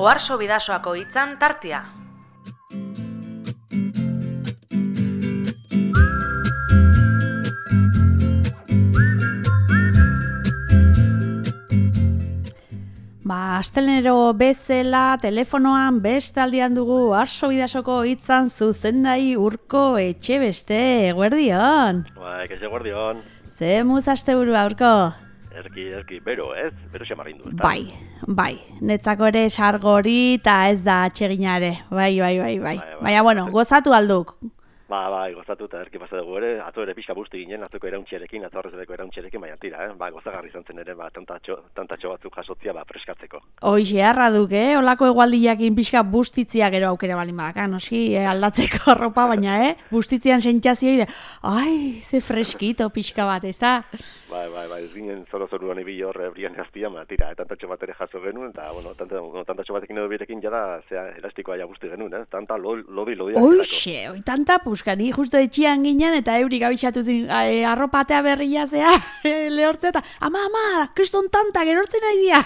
Oharso Bidasoako hitzan tartea. Astelenero bezala telefonoan bestaldian dugu Oharso Bidasoko hitzan zuzendai Urko Etxebeste, eguerdion. Eguerdion. Ze muz asteburua, Urko? Erki, bero xamarrindu. Bai, netzako ere sargori eta ez da atsegina ere, bai. Baina, bueno, gozatu alduk. Bai, gozatu eta erki pasa dugu ere, atzo ere pixka busti ginen, atzoko erauntxerekin, atzorrezeko erauntxerekin, baina tira, gozagarri izan zen ere, tantatxo batzuk jasotzia, freskatzeko. Hoixe, harra duk, olako egualdiakin pixka bustitzia gero aukera balin badaka, noski, aldatzeko arropa, baina, bustitzian sentsazioide, ai, ze freskito pixka bat, ez da? Bai, ez ginen zoru honi bi horre brian gaztia, tira, tantatxo bat ere jaso genuen, eta, tantatxo batekin edo birekin jada, elastikoa ja busti genuen, tanta lodi. Hoixe, tanta puskani, justo etxian ginen, eta eurik abixatu zin, arropatea berria zea, lehortze, eta, ama, kriston tanta, gerortzen nahi dia.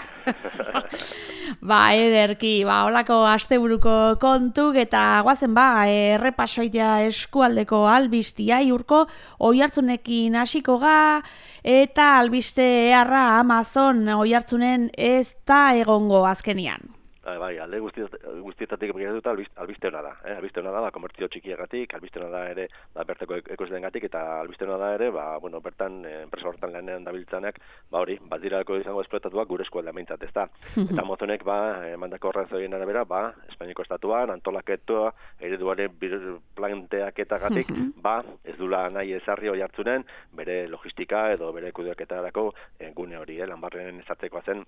Ederki, holako asteburuko kontuk, eta guazen, errepasoitea eskualdeko albistia, Urko, Oiartzunekin hasiko ga, eta albiste eharra Amazon Oiartzunen ez da egongo azkenian. Bai, alde guztietatik begiratuta albiste hona da. Albiste hona da, komertzio txikiagatik, albiste hona da ere, bertako ekoizleengatik, eta albiste hona da ere, bertan, enpresa horretan lanean dabiltzanak, badirako izango esplotatuak gure eskualda meintzat, ez da. Eta Amazonek, emandako horrezoien arabera, Espainiako estatuan, antolaketua, ereduaren planteaketagatik, ez dula nahi ezarri Oiartzunen, bere logistika edo bere kudeaketarako gune hori, lanbarren ezartzekoa zen,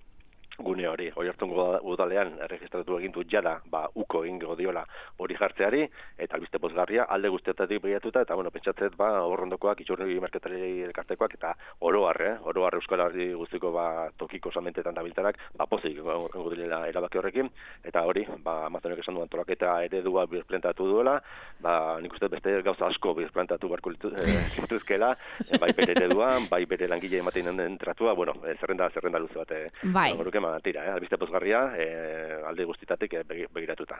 gune hori, Oiartzun udalean erregistratu egin du jada, uko egingo diola hori jartzeari, eta albiste pozgarria, alde guztietatik begiratuta, eta pentsatzet, horrondokoak, itxurri merketari elkartekoak, eta oroar Euskal Herri guztiko tokiko salmentetan dabiltanak, pozik egongo direla erabaki horrekin, eta hori, Amazonek esan du antolaketa eredua birplantatu duela, nik uste beste gauza asko birplantatu barko lituzkela, bai bere ereduan, bai bere langile ematen den tratua, zerrenda luze bat, tira, albiste pozgarria, alde guztitatik begiratuta.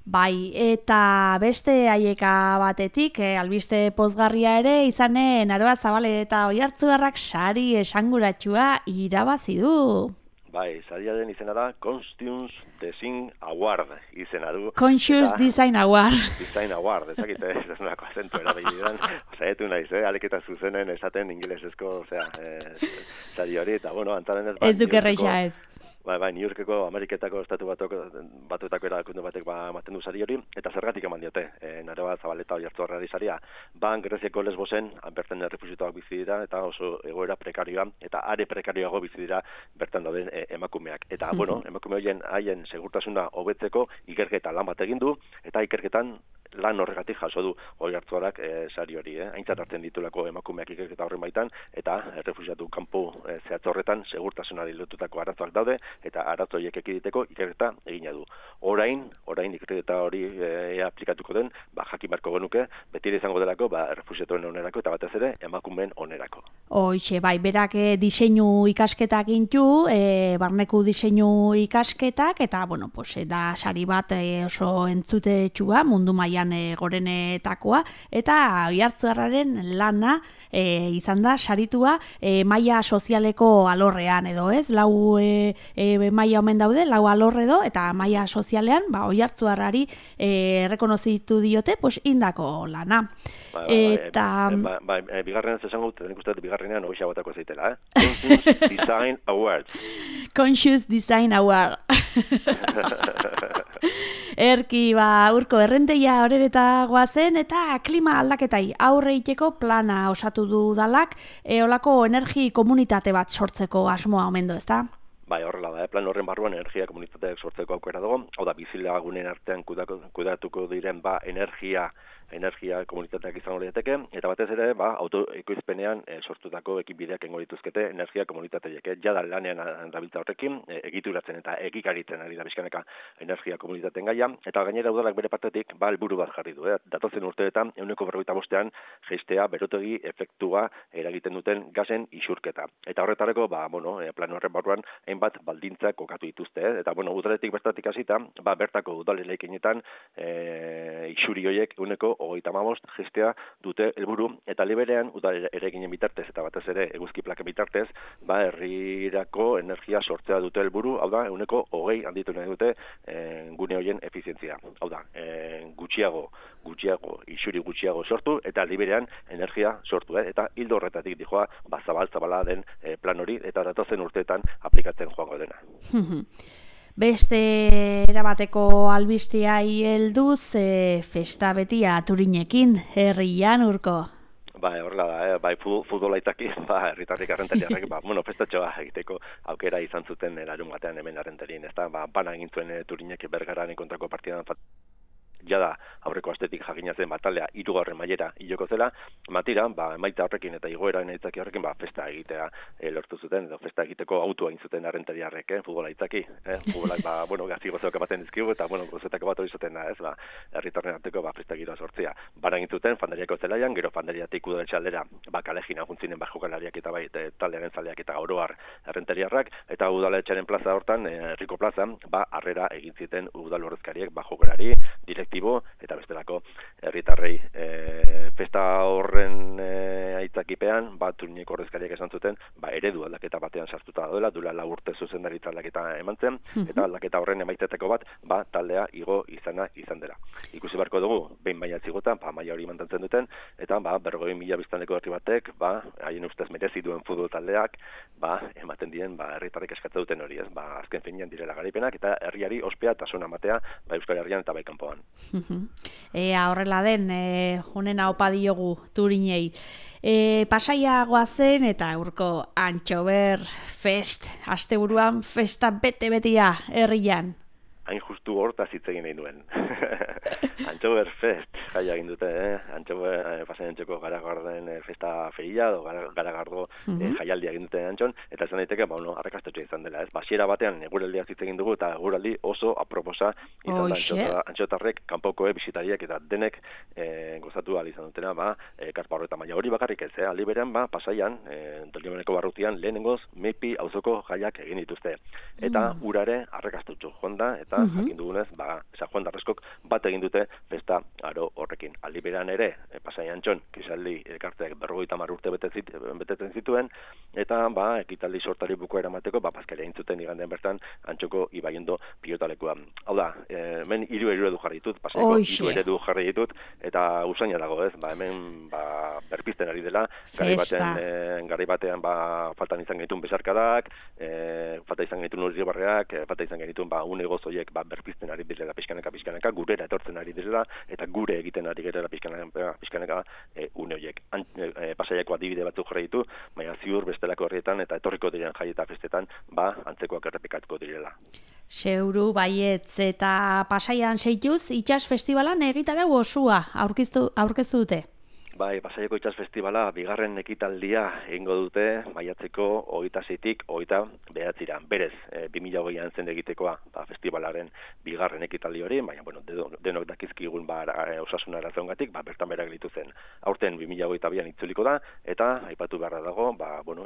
Bai, eta beste haieka batetik, albiste pozgarria ere, izanen Aroa Zabale eta Oiartzuarrak sari esanguratsua irabazi du. Bai, sariaren izena da Conscious Design Award izena du. Conscious Design Award. Design Award, ezakite, ez nolako azentu erabildidan. Zaietu naiz, aleketa zuzenen esaten ingelesezko, sari hori, eta antaren ez... Ez duk erreixa ez. Bai, New Yorkeko Ameriketako estatu batuetako erakunde batek ematen du sari hori, eta zergatik eman diote, Aroa Zabale eta Oiartzuarrari saria. Greziako Lesbosen, bertan errefuxiatuak bizi dira, eta oso egoera prekarioa, eta are prekarioago bizi dira bertan dauden emakumeak. Eta, emakume horien haien segurtasuna hobetzeko ikerketa lan bat egin du, eta ikerketan lan horregatik jaso du Oiartzuarrak sari hori. Aintzat hartzen ditulako emakumeak ikerketa horren baitan, eta errefuxiatu kanpo zehatz horretan segurtasunari lotutako arazoak daude, eta arazo horiek ekiditeko ikerketa egina du. Orain ikerketa hori aplikatuko den, jakin barko genuke, beti izango delako, errefuxiatuen onerako, eta batez ere, emakumeen onerako. Hoixe, berak diseinu ikasketak intu, barneku diseinu ikasketak, eta, da sari bat oso entzutetxua, mundu mailan gorenetakoa, eta Oiartzuarraren lana izan da saritua maila sozialeko alorrean edo ez, lau maila omen daude, lau alorre do, eta maila sozialean, Oiartzuarrari errekonozitu diote, indako lana. Bigarren ez esango dut, nik uste bigarrenean hoxe botako zeitela, Conscious Design Award. Conscious Design Award. Erki, Urko, errenteia horreta goazen, eta klima aldaketai aurre iteko plana osatu du dalak, olako energi komunitate bat sortzeko asmoa omendo, ez da? Bai, horrela da, plan horren barruan energia komunitateak sortzeko aukera dago, hau da bizilagunen artean kudatuko diren energia komunitateak izango lirateke, eta batez ere, autoekoizpenean sortutako ekinbideak engo dituzkete energia komunitateiek. Jada lanean dabiltza horrekin, egituratzen eta egikaritzen ari da bizkaneka energia komunitateen gaia, eta gainera udalak bere partetik, helburu bat jarri du. Datozen urteetan, 145 jeistea berotegi efektua eragiten duten gasen isurketa. Eta horretarako, plan horren barruan, hainbat hainbat baldintzak kokatu dituzte, eta bueno, udaletik bertatik hasita, bertako udaleraikinetan isuri horiek 135 gestea dute helburu, eta liberean udaleraikinen bitartez eta batez ere eguzki plaken bitartez, herrirako energia sortzea dute helburu, hau da 20 handitu nahi dute gune horien efizientzia. Hau da, isuri gutxiago sortu eta liberean energia sortu, eta hildo horretatik dijoa zabala den plan hori eta datozen urteetan aplikatzen joango dena. Beste erabateko albisteai helduz, festa betia Turinekin, herrian Urko. Horrela da, futbola itaki, herritarrik arrentariarrek, festatxoa egiteko aukera izan zuten larun batean hemen arrentarien, ez da, bana egin zuen Turinek Bergararen kontrako partidan jada aurreko astetik jakinatzen taldea 3. mailera iloko zela, matira, emaitza horrekin eta igoera itzaki horrekin, festa egitea lortu zuten, edo festa egiteko autua egin zuten arrentariarrek, futbola itzaki, futbolak, gazi gozoak ematen dizkigu, eta, gozoetako bat hori zuten da, ez, herritarren arteko, festa giroa sortzea. Bara egin zuten, fandariako zelaian, gero fandariatik udaletxe aldera, kalejina juntzinen jokalariak eta taldearen zaleak eta oroar arrentariarrak, eta udaletxearen plaza hortan, herriko plaza, harrera egin ziten udal ordezkariek, jokalari, eta bestelako herritarrei. Festa horren aitzakipean, Turineko ordezkariak esan zuten, eredu aldaketa batean sartuta daudela, duela 4 urte zuzendaritza aldaketa eman zen, eta aldaketa horren emaiteteko bat, taldea igo izan dela. Ikusi beharko dugu, behin baina zigotan, maila hori mantentzen duten, eta 40.000 biztanleko herri batek, haien ustez merezi duen futbol taldeak, ematen diren, herritarrek eskatzen duten hori, azken finean direla garaipenak, eta herriari ospea eta sona matea, Euskal Herrian eta kanpoan. Horrela den, honena opa diogu Turinei. Pasaia goazen eta Urko Antxober Fest, asteburuan festa bete-betia herrian. Hain justu hortaz hitz egin nahi duen. Antxober Fest, jaia egin dute, Pasaian Antxoko Garagardoen festa feria, Garagardo jaialdia egin dute Antxon, eta esan daiteke, arrakastetxo izan dela, ez? Basiera batean eguraldia hitz egin dugu, eta eguraldi oso aproposa izan da Antxotarrek, kanpokoek, bisitariek, eta denek gozatu ahal izan dutena, karpa horreta maila hori bakarrik ez, aldi berean, Pasaian, Doliomeneko barrutian, lehenengoz, Meipi auzoko jaiak egin dituzte. Eta urare arrakastetxo joan da, eta jakin dugunez, San Juan d'Arreskok bat egin dute festa aro horrekin. Aldi berean ere, Pasaian Antxon, kisaldi elkarteak 50 urte betetzen zituen, eta ekitaldi sortari bukoa eramateko, paskaria egin zuten igandean bertan Antxoko Ibaiondo pilotalekua. Hau da, hemen 3 eredu jarri ditut, Pasaiako 3 eredu jarri ditut, eta usaina dago, ez? Hemen berpizten ari dela, garai batean faltan izan genituen besarkadak, falta izan genituen urribarreak, falta izan genituen une gozoiek berpizten ari direla pixkanaka, gurera etortzen ari direla, eta gure egiten ari gerela pixkanaka une horiek. Pasaiako adibide batzuk jarri ditu, baina ziur bestelako herrietan eta etorriko diren jai eta festetan, antzekoak errepikatuko direla. Seuru baietz eta Pasaian seituz, itxas festivalan egitarau osua aurkeztu dute. Pasaiako Itxas Festivala bigarren ekitaldia egingo dute maiatzeko 26-tik 29-ra. Berez, 2020an zen egitekoa festivalaren bigarren ekitaldi hori, baina denok dakizkigun osasun arazoengatik bertan behera gelditu zen. Aurten 2022an itzuliko da, eta aipatu beharra dago,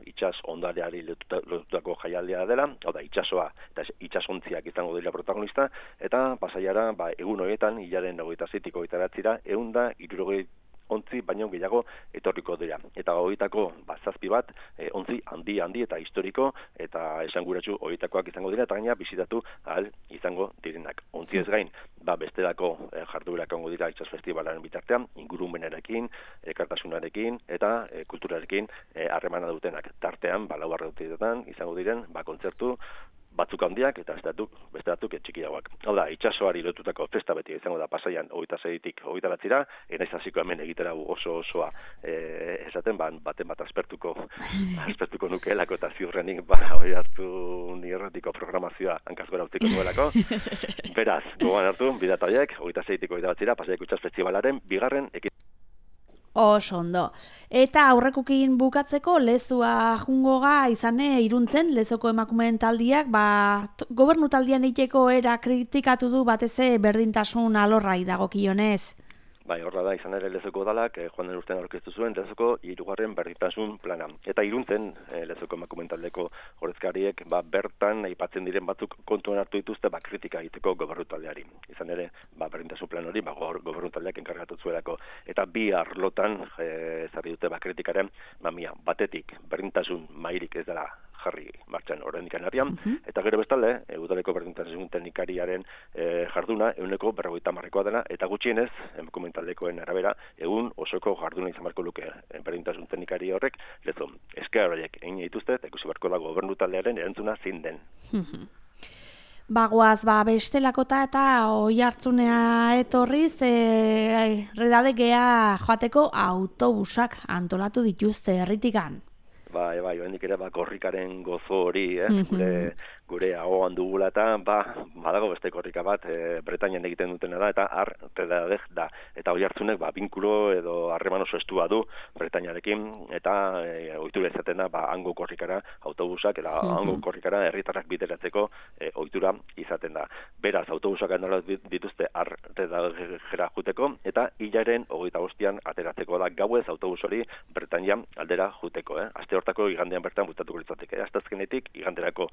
itsas ondareari lotutako jaialdia dela, hau da, itsasoa eta itsasontziak izango dira protagonista, eta Pasaiara egun horietan, hilaren 26-tik 29-ra, 160 ontzi baino gehiago etorriko dira. Eta horietako 7 bat, ontzi handi eta historiko eta esanguratsu horietakoak izango dira, eta gaina bisitatu ahal izango direnak. Ontzi ez gain, bestelako jarduerak egongo dira Itxas Festivalaren bitartean, ingurumenarekin, elkartasunarekin eta kulturarekin harremana dutenak. Tartean, 4 urteetan izango diren, kontzertu batzuk handiak eta beste batzuk txikiagoak. Hau da, itsasoari lotutako festa beti izango da Pasaian 26-tik 29-ra, naiz hasiko hemen egitera osoa esaten, baten bat aspertuko nukeelako eta ziurrenik hori hartu nirratiko programazioa hankaz gora utziko duelako. Beraz, gogoan hartu, bidataiek 26-tik 29-ra Pasaiako Itxas Festivalaren bigarren Oso ondo. Eta aurrekokin bukatzeko lezua jungoga izane Iruntzen, lezoko emakumeen taldiak, gobernu taldian eiteko era kritikatu du bateze berdintasun alorrai dagokionez. Bai, horra da, izan ere Lezoko udalak, joan den urtean aurkeztu zuen Lezoko 3. berdintasun plana. Eta Iruntzen, Lezoko emakumeen taldeko ordezkariek, bertan aipatzen diren batzuk kontuan hartu dituzte, kritika egiteko gobernu taldeari. Izan ere, berdintasun plan hori, gobernu taldeak enkargatu zuelako. Eta bi arlotan, ezarri dute kritikaren, batetik, berdintasun mairik ez dela jarri martxan oraindik arian, eta gero bestalde, udaleko berdintasun teknikariaren jarduna 50%koa dela, eta gutxienez, emakumeen taldekoen arabera, egun osoko jarduna izan beharko luke berdintasun teknikari horrek, Lezon, esker horiek egin dituzte, eta ikusi beharko da gobernu taldearen erantzuna zein den. Bagoaz, bestelakota eta oi hartzunea etorriz, redadegea joateko autobusak antolatu dituzte herritikan. Bai, oraindik ere korrikaren gozo hori, gure ahoan dugula eta badago beste korrika bat Bretainian egiten dutena da, eta redadeg da. Eta hori hartzunek binkulo edo harreman oso estua du Bretainiarekin, eta ohitura izaten da hango korrikara autobusak, eta hango korrikara herritarrak bideratzeko ohitura izaten da. Beraz, autobusak antolatu dituzte redadegera juteko, eta hilaren 25an ateratzeko da gauez autobus hori Bretainia aldera juteko. Aste hortako igandean bertan butatuko litzateke. Asteazkenetik iganderako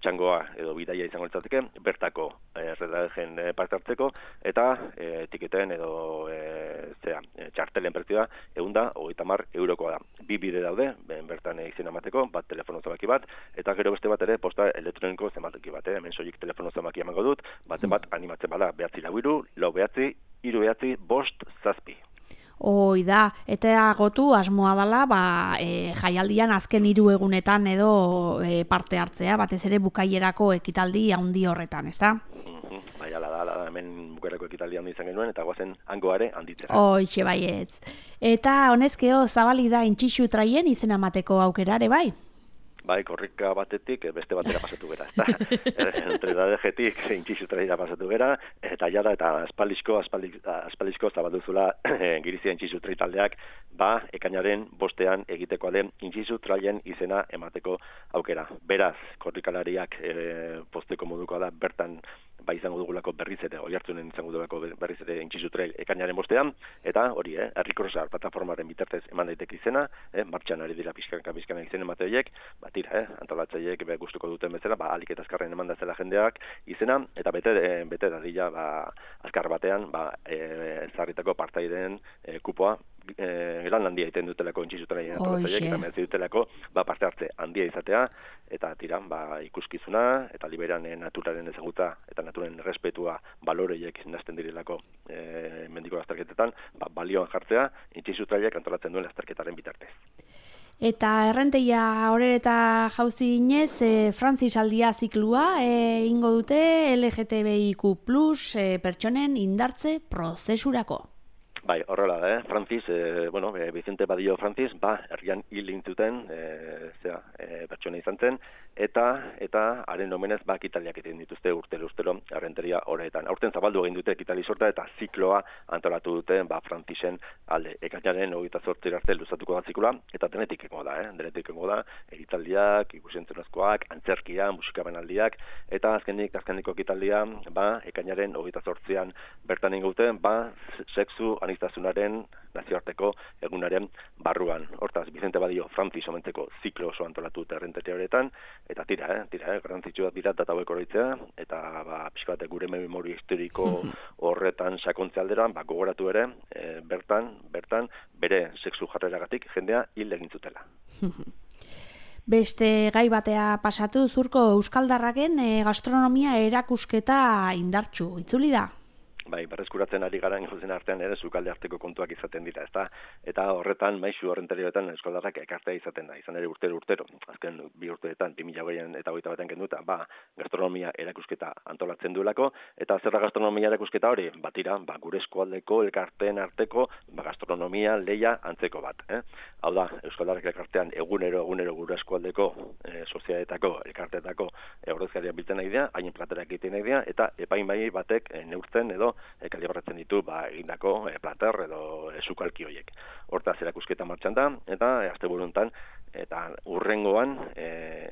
txangoa edo bidaia izango litzateke, bertako redadegen parte hartzeko, eta etiketen edo txartelen prezioa 130 eurokoa da. Bi bide daude, bertan izena emateko, bat telefono zenbaki bat, eta gero beste bat ere posta elektroniko zenbaki bat, hemen soilik telefono zenbaki emango dut, baten bat animatzen bada 943-4-5-7. Hoi da, eta gotu asmoa dela, jaialdian azken 3 egunetan edo parte hartzea, batez ere bukaierako ekitaldi handi horretan, ezta? Bai, ala da, hemen bukaierako ekitaldi handi izan genuen, eta guazen hangoare handitzera. Hoixe baietz. Eta honezkeo zabali da intxixu traien izena emateko aukerare, bai? Bai, korrika batetik beste batera pasatu gera, ezta? Redadegetik intxixu traira pasatu gera, eta jada eta aspaldizko zabalduzula girizia intxixu trai taldeak, ekainaren 5ean egiteko den intxixu traien izena emateko aukera. Beraz, korrikalariak posteko moduko da bertan izango dugulako berriz ere, oihartzunen izango dugulako berriz ere intxixu trail ekainaren 5ean, eta hori, herrikrosar plataformaren bitartez eman daiteke izena, martxan ari dira pixkanka izen emate horiek, antolatzaileek gustuko duten bezala, ahalik eta azkarren eman dazela jendeak izena, eta bete dadila azkar batean ezarritako partaideen kupoa lan handia egiten dutelako intxixu traien antolatzaileek, eta merezi dutelako parte hartze handia izatea, eta ikuskizuna, eta liberan naturaren ezagutza eta naturen respetua baloreiek nazten direlako mendiko lasterketetan, balioan jartzea, intxixu traiek antolatzen duen lasterketaren bitartez. Eta errenteia horreta jauzi ginez, Frantzis aldia ziklua ingo dute LGTBIQ+ pertsonen indartze prozesurako. Bai, horrela da, Francis, Vicente Badillo Francis, herrian hil intzuten, pertsona izan zen, eta haren omenez, ekitaliak egiten dituzte urtero errenteria horretan. Aurten zabaldu egin dute ekitali sorta eta zikloa antolatu dute, Francisen alde. Ekainaren 28 arte luzatuko da zikloa, eta denetik egongo da, egitaldiak, ikusentzunezkoak, antzerkia, musikabenaldiak, eta azkeniko ekitaldia, ekainaren 28an bertan ingute, sexu aniztasunaren nazioarteko egunaren barruan. Hortaz, Vicente Badillo Francis omentzeko ziklo oso antolatu dute errenteria horretan, eta tira, garrantzitsua dira data hauek oroitzea, eta pixka bat gure memoria historiko horretan sakontze aldera, gogoratu ere, bertan, bere sexu jarreragatik jendea hil egin zutela. Beste gai batea pasatu, Zurko euskaldarraken gastronomia erakusketa indartsu, itzuli da? Bai, berreskuratzen ari gara ingozen artean ere sukalde arteko kontuak izaten dira, ezta? Eta horretan, maisu horrentarioetan euskaldarrak ekartea izaten da, izan ere urtero, azken 2 urteetan, 2020 eta 2021 kenduta, gastronomia erakusketa antolatzen duelako, eta zerra gastronomia erakusketa hori, gure eskualdeko elkarteen arteko gastronomia leia antzeko bat. Hau da, euskaldarrak elkartean egunero gure eskualdeko sozialetako, elkarteetako ordezkariak biltzen nahi dira, haien platerak egiten nahi dira, eta epaimai batek neurtzen edo kalibratzen ditu egindako plater edo sukalki horiek. Hortaz erakusketa martxan da, eta asteburuntan eta urrengoan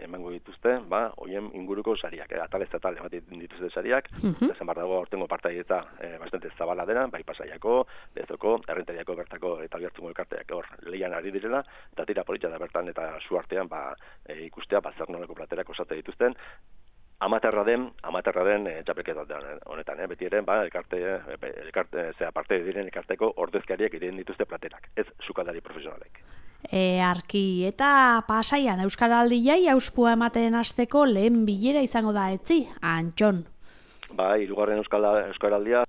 emango dituzte, hoien inguruko sariak, atalez atal ematen dituzte sariak, eta zen dago aurtengo partaidetza bastante zabala dena, bai Pasaiako, Lezoko, Errentariako bertako eta Oiartzungo elkarteak hor lehian ari direla, eta tira politxa da bertan eta su artean ikustea zer nolako platerak osate dituzten. Amaterra den txapelketa honetan, beti ere, parte diren elkarteko ordezkariak iren dituzte platerak, ez sukaldari profesionalek. Arki, eta Pasaian Euskaraldiai auspua ematen hasteko lehen bilera izango da etzi, Antxon. Hirugarren Euskaraldia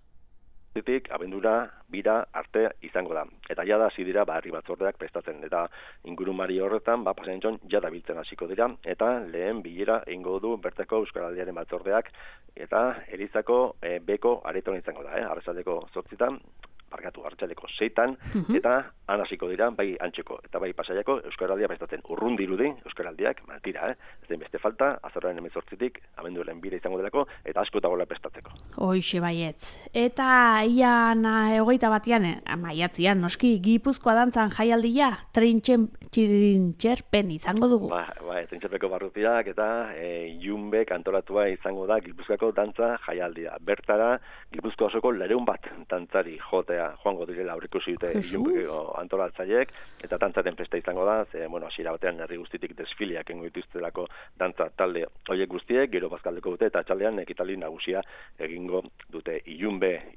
abendura bira arte izango da. Eta jada hasi dira herri batzordeak prestatzen, eta ingurumari horretan Pasaian jada biltzen hasiko dira, eta lehen bilera egingo du bertako Euskaraldiaren batzordeak, eta Elizako beko areton izango da, arratsaldeko 8 arratsaleko 6 eta han hasiko dira, bai Antxeko eta bai Pasaiako Euskaraldia prestatzen. Urrun dirudi Euskaraldiak, tira, ez den beste falta, azaroaren 18 abenduaren bira izango delako, eta asko dagoela prestatzeko. Hoixe baietz. Eta ian 21 maiatzean noski Gipuzkoa dantzan jaialdia trintxerpen izango dugu. Trintxerpeko barrutiak eta Ilunbek antolatua izango da Gipuzkoako dantza jaialdia. Bertara Gipuzkoa osoko 200 dantzari joango direla aurreikusi dute Ilunbeko antolatzaileek, eta dantzaren festa izango da, hasiera batean herri guztitik desfileak egingo dituztelako dantza talde horiek guztiek, gero bazkaldeko dute, eta atxaldean ekitaldi nagusia egingo dute. Ilunbe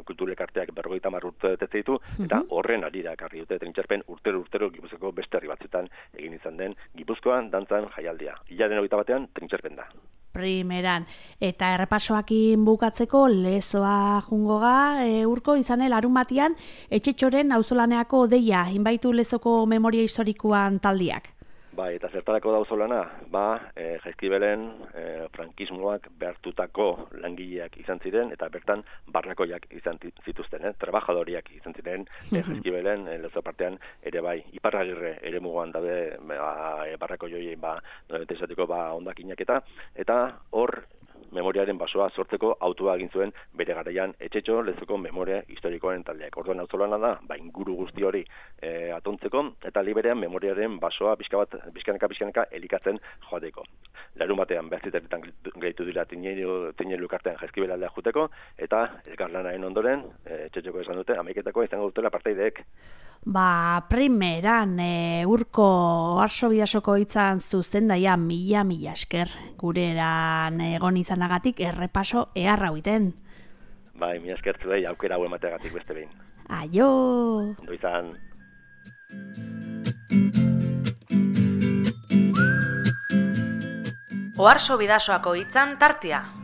kulturelkarteak 50 urte betetze ditu, eta horren arira ekarri dute trintxerpen urtero Gipuzkoako beste herri batzuetan egin izan den Gipuzkoan dantzan jaialdia. Hilaren 21 trintxerpen da. Primeran. Eta errepasoakin bukatzeko Lezoa jungoga urko izanel larun batian Etxetxoren auzolaneako deia inbaitu Lezoko memoria historikoan taldiak. Eta zertarako da auzolana? Jaizkibelen frankismoak behartutako langileak izan ziren, eta bertan barrakoiak izan zituzten, trabajadoriak izan ziren Jaizkibelen Lezo partean ere bai. Iparragirre ere mugoan daude barrako joien esateko hondakinak eta hor memoriaren basoa sortzeko autua egin zuen bere garaian Etxetxo Lezoko memoria historikoaren taldeak. Orduan auzolana da, inguru guzti hori atontzeko, eta liberean memoriaren basoa pixkanaka elikatzen joateko. Larun batean 9 gehitu dira Tinelu kartean Jaizkibel aldea juteko, eta elkarlanaren ondoren, Etxetxoko esan dute, 11 izango dutela partaideek. Primeran urko Oarso Bidasoko hitzan zuzendaia mila esker gureran egon izanagatik errepaso eharra huiten. Mila esker zuei aukera hau emateagatik beste behin. Aio! Ondo izan. Oarso Bidasoako hitzan tartea.